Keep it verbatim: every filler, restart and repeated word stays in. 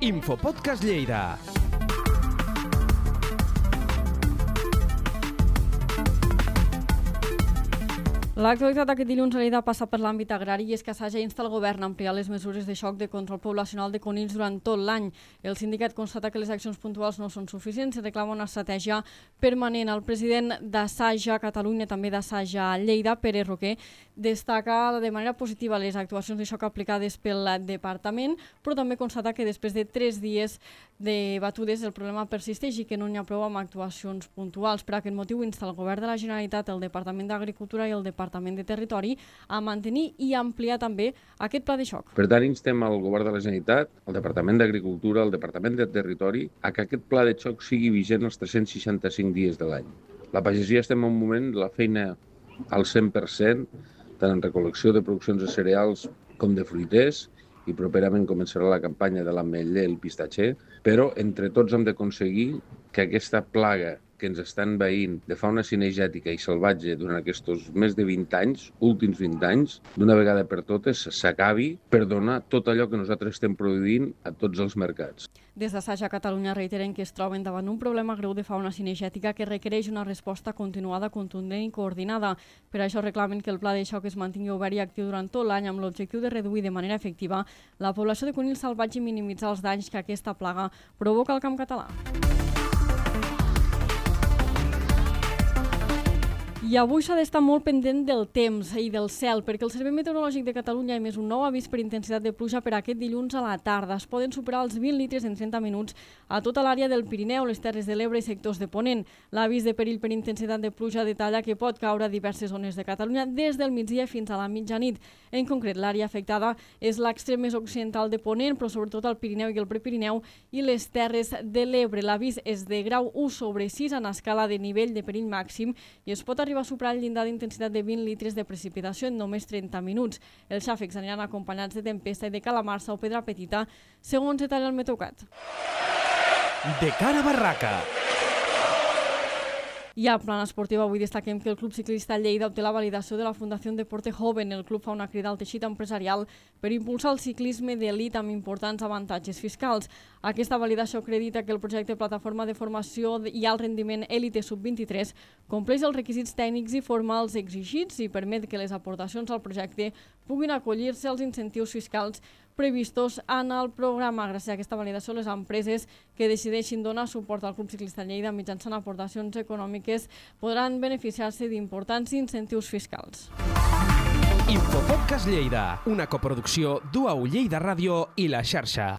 Infopodcast Lleida. L'actualitat d'aquest dilluns a Lleida passa per l'àmbit agrari i és que Saja insta el govern a ampliar les mesures de xoc de control poblacional de conills durant tot l'any. El sindicat constata que les accions puntuals no són suficients i reclama una estratègia permanent. El president d'Asaja Catalunya, també d'Asaja Lleida, Pere Roquer, destaca de manera positiva les actuacions de xoc aplicades pel departament, però també constata que després de tres dies de batudes el problema persisteix i que no n'hi ha prou amb actuacions puntuals. Per aquest motiu insta el govern de la Generalitat, el Departament d'Agricultura i el Departament de Territori a mantenir i ampliar també aquest pla de xoc. Per tant, instem al govern de la Generalitat, al Departament d'Agricultura, al Departament de Territori, a que aquest pla de xoc sigui vigent els tres-cents seixanta-cinc dies de l'any. La pagesia estem en un moment de la feina al cent per cent, tant en recol·lecció de produccions de cereals com de fruiters, i properament començarà la campanya de l'ametller i el pistatxer, però entre tots hem d'aconseguir que aquesta plaga que ens estan veient de fauna cinegètica i salvatge durant aquests més de vint anys, últims vint anys, d'una vegada per totes s'acabi per donar tot allò que nosaltres estem produint a tots els mercats. Des de Saja Catalunya reiteren que es troben davant un problema greu de fauna cinegètica que requereix una resposta continuada, contundent i coordinada. Per això reclamen que el pla de xoc es mantingui obert i actiu durant tot l'any amb l'objectiu de reduir de manera efectiva la població de conills salvatge i minimitzar els danys que aquesta plaga provoca al camp català. I avui s'ha d'estar molt pendent del temps i del cel, perquè el Servei Meteorològic de Catalunya ha emès un nou avís per intensitat de pluja per aquest dilluns a la tarda. Es poden superar els vint litres en trenta minuts a tota l'àrea del Pirineu, les Terres de l'Ebre i sectors de Ponent. L'avís de perill per intensitat de pluja detalla que pot caure a diverses zones de Catalunya des del migdia fins a la mitjanit. En concret, l'àrea afectada és l'extrem més occidental de Ponent, però sobretot el Pirineu i el Prepirineu i les Terres de l'Ebre. L'avís és de grau u sobre sis en escala de nivell de perill màxim i es pot arribar a superar el llindar d'intensitat de vint litres de precipitació en només trenta minuts. Els xàfecs aniran acompanyats de tempesta i de calamarsa o pedra petita, segons detalla el Meteocat. De cara a barraca. I al plan esportiu avui destaquem que el Club Ciclista Lleida obté la validació de la Fundació Deporte Joven. El club fa una crida al teixit empresarial per impulsar el ciclisme d'elit amb importants avantatges fiscals. Aquesta validació acredita que el projecte Plataforma de Formació i Alt Rendiment Elite sub vint-i-tres compleix els requisits tècnics i formals exigits i permet que les aportacions al projecte puguin acollir-se als incentius fiscals previstos en el programa. Gràcies a aquesta validació, les empreses que decideixin donar suport al Club Ciclista Lleida mitjançant aportacions econòmiques podran beneficiar-se d'importants incentius fiscals. Infopodcast Lleida, una coproducció d'U A U Lleida Ràdio i La Xarxa.